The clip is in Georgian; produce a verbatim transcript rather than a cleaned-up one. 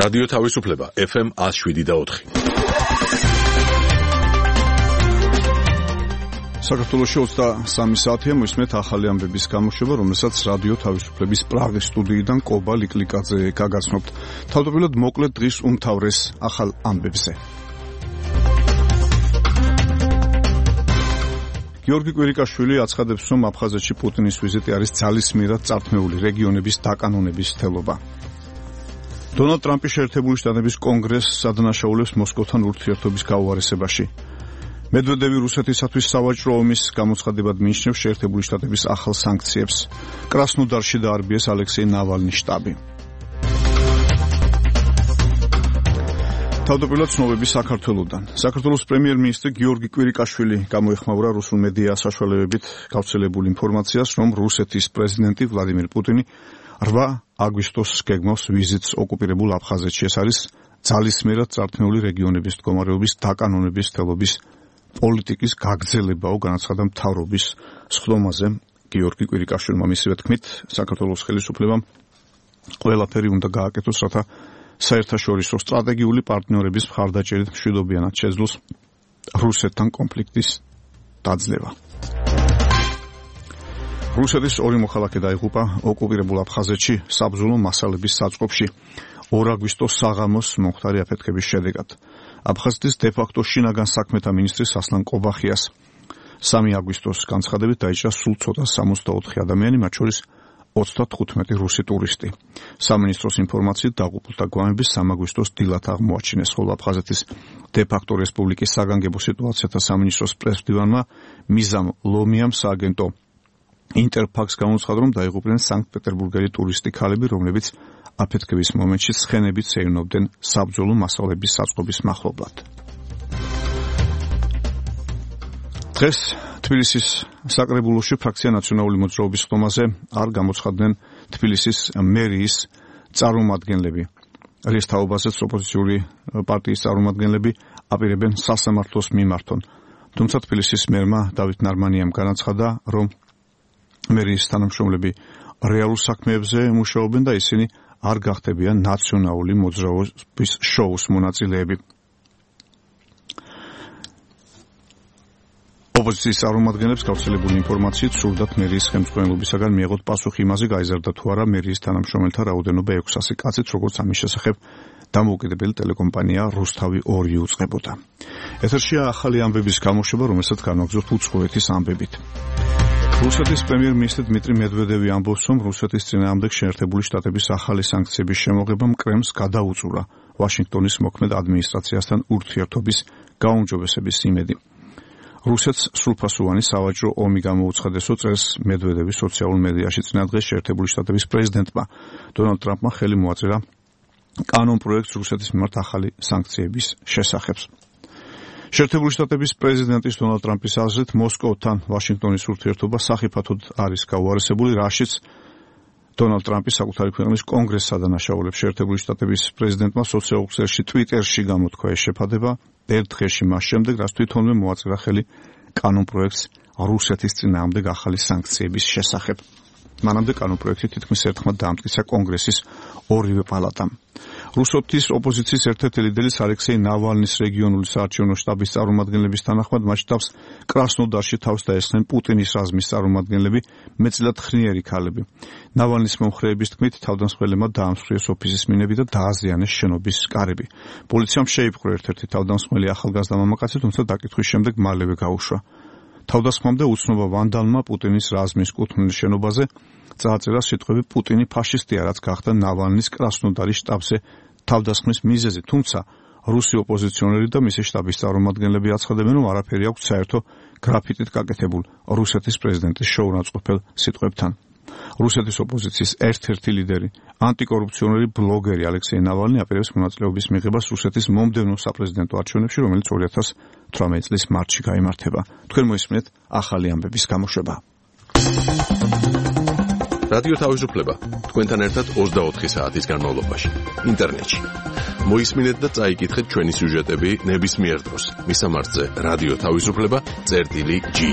რადიო თავისუფლება ეფ ემ ათს შვიდი და ოთხი. საქართველოში ოცდასამი საათია მოისმენთ ახალი ამბების გამოშვება, რომელსაც რადიო თავისუფლების პრაღის სტუდიიდან კობა ლიკლიკაძე გაგაცნობთ. თავდაპირველად მოკლედ დღის უმთავრეს ახალ ამბებზე. გიორგი კვირიკაშვილი აცხადებს, რომ აფხაზეთში პუტინის ვიზიტი არის ძალისმიერად წართმეული რეგიონების დაკანონების თელობა. დონალდ ტრამპი შეერთებული შტატების კონგრესს ადანაშაულებს მოსკოვთან ურთიერთობის გაუარესებაში. მედვედევი რუსეთისათვის სავაჭრო ომის გამოცხადებად მიიჩნევს შეერთებული შტატების ახალ სანქციებს. კრასნოდარში დაარბიეს ალექსეი ნავალნის შტაბი. თავდაპირველად ცნობები საქართველოდან. საქართველოს პრემიერ-მინისტრი გიორგი კვირიკაშვილი გამოეხმაურა რუსულ მედია საშუალებებით გავრცელებული ინფორმაციას, რომ რუსეთის პრეზიდენტი ვლადიმირ პუტინი რვა აგვისტოს გეგმავს ვიზიტს ოკუპირებულ აფხაზეთში. ეს არის ძალისმიერად წართმეული რეგიონების მდგომარეობის დაკანონების თელობის პოლიტიკის გაგრძელებაო, განაცხადა მთავრობის სხდომაზე გიორგი კვირიკაშვილმა. მისივე თქმით, საქართველოს ხელისუფლებამ ყველაფერი უნდა გააკეთოს, რათა საერთაშორისო სტრატეგიული პარტნიორების მხარდაჭერით მშვიდობიანად შეძლოს რუსეთთან კონფლიქტის დაძლევა. რუსეთის ორი მოქალაქე დაიღუპა ოკუპირებულ აფხაზეთში საბრძოლო მასალების საწყობში ორ აგვისტოს საღამოს მომხდარი აფეთქების შედეგად. აფხაზეთის დე-ფაქტო შინაგან საქმეთა მინისტრის ასლან ყობახიას სამი აგვისტოს განცხადებით დაიჭრა სულ ცოტა სამოცდაოთხი ადამიანი, მათ შორის ოცდათხუთმეტი რუსი ტურისტი. სამინისტროს ინფორმაციით დაღუპულთა გვამების სამ აგვისტოს დილად აღმოაჩინეს, ხოლო აფხაზეთის დე-ფაქტო რესპუბლიკის საგანგებო სიტუაციათა სამინისტროს პრესმდივანმა მიზამ ლომიამ სააგენტო ინტერფაქს გამოცხადა, რომ დაიღუპნენ სანქტ-პეტერბურგელი ტურისტი ქალები, რომლებიც აფეთქების მომენტში ცხენებით სეირნობდნენ საბრძოლო მასალების საწყობის მახლობლად. დღეს თბილისის საკრებულოში ფრაქცია ნაციონალური მოძრაობის ხდომაზე არ გამოცხადდნენ თბილისის მერიის წარმომადგენლები. რის თაობაზეც ოპოზიციური პარტიის წარმომადგენლები აპირებენ სასამართლოს მიმართონ. თუმცა თბილისის მერმა დავით ნარმანიამ განაცხადა, რომ მერიის თანამშრომლები რეალურ საქმეებზე მუშაობენ და ისინი არ გახდებიან ნაციონალური მოძრაობის შოუს მონაწილეები. ოპოზიციის წარმომადგენლებს გავრცელებული ინფორმაციით სურდათ მერიის ხელმძღვანელობისაგან მიეღოთ პასუხი იმაზე, გაიზარდა თუ არა მერიის თანამშრომელთა რაოდენობა ექვსასი კაცით, როგორც ამის შესახებ დამოუკიდებელი ტელეკომპანია რუსთავი ორი უწყებოდა. ეთერშია ახალი ამბების გამოშვება, რომელსაც განვაგრძობთ უცხოეთის ამბებით. რუსეთის პრემიერ-მინისტრი დმიტრი მედვედევი ამბობს, რომ რუსეთის წინააღმდეგ შეერთებული შტატების ახალი სანქციების შემოღებამ კრემლს გადაუწურა ვაშინგტონის მოქმედ ადმინისტრაციასთან ურთიერთობის გაუმჯობესების იმედი. რუსეთს სრულფასოვანი სავაჭრო ომი გამოუცხადეს, წერს მედვედევი სოციალურ მედიაში. წინა დღეს შეერთებული შტატების პრეზიდენტმა დონალდ ტრამპმა ხელი მოაწერა კანონ პროექტს რუსეთის მიმართ ახალი სანქციების შესახებ. შეერთებული შტატების პრეზიდენტის დონალდ ტრამპის აზრით მოსკოვთან ვაშინგტონის ურთიერთობა სახიფათოდ არის გაუარესებული, რაშიც დონალდ ტრამპი საკუთარი ქვეყნის კონგრესს ადანაშაულებს. შეერთებული შტატების პრეზიდენტმა სოციალურ ქსელში ტვიტერში გამოთქვა ეს შეფადება ერთ დღეში მას შემდეგ, რაც თვითონვე მოაწერა ხელი კანონ პროექტს რუსეთის წინააღმდეგ ახალი სანქციების შესახებ. მანამდე კანონ პროექტი თითქმის ერთხმად დაამტკიცა კონგრესის ორივე პალატამ. რუსეთის ოპოზიციის ერთ-ერთი ლიდერის ალექსეი ნავალნის რეგიონული საარჩევნო შტაბის წარმომადგენლების თანახმად მათ შტაბს კრასნოდარში თავს დაესხნენ პუტინის რაზმის წარმომადგენლები, მეტწილად ხრიერი ქალები. ნავალნის მომხრეების თქმით, თავდამსხმელებმა დაამსხვრიეს ოფისის მინები და დააზიანეს შენობის კარები. პოლიციამ შეიპყრო ერთ-ერთი თავდამსხმელი ახალგაზრდა მამაკაცი, თუმცა დაკითხვის შემდეგ მალევე გაუშვა. თავდასხმამდე უცნობა ვანდალმა პუტინის რაზმის კუთვნილ შენობაზე წააწერა სიტყვები „პუტინი ფაშისტია“, რაც გახდა ნავალნის კრასნოდარის შტაბზე თავდასხმის მიზეზი, თუმცა რუსი ოპოზიციონერი და მისი შტაბის წარმომადგენლები აცხადებენ, რომ არაფერი აქვს საერთო გრაფიტით გაკეთებულ რუსეთის პრეზიდენტის შოურაცხყოფელ სიტყვებთან. რუსეთის ოპოზიციის ერთ-ერთი ლიდერი, ანტიკორუფციონერი ბლოგერი ალექსეი ნავალნი აპირებს მონაწილეობის მიღებას რუსეთის მომდევნო საპრეზიდენტო არჩევნებში, რომელიც ორი ათას თვრამეტი წლის მარტში გაიმართება. თქვენ მოისმენთ ახალი ამბების გამოშვება. რადიო თავისუფლება თქვენთან ერთად ოცდაოთხი საათის განმავლობაში ინტერნეტში. მოისმინეთ და წაიკითხეთ ჩვენი სიუჟეტები ნებისმიერ დროს. მისამართზე რადიო თავისუფლება წერტილი ჯი.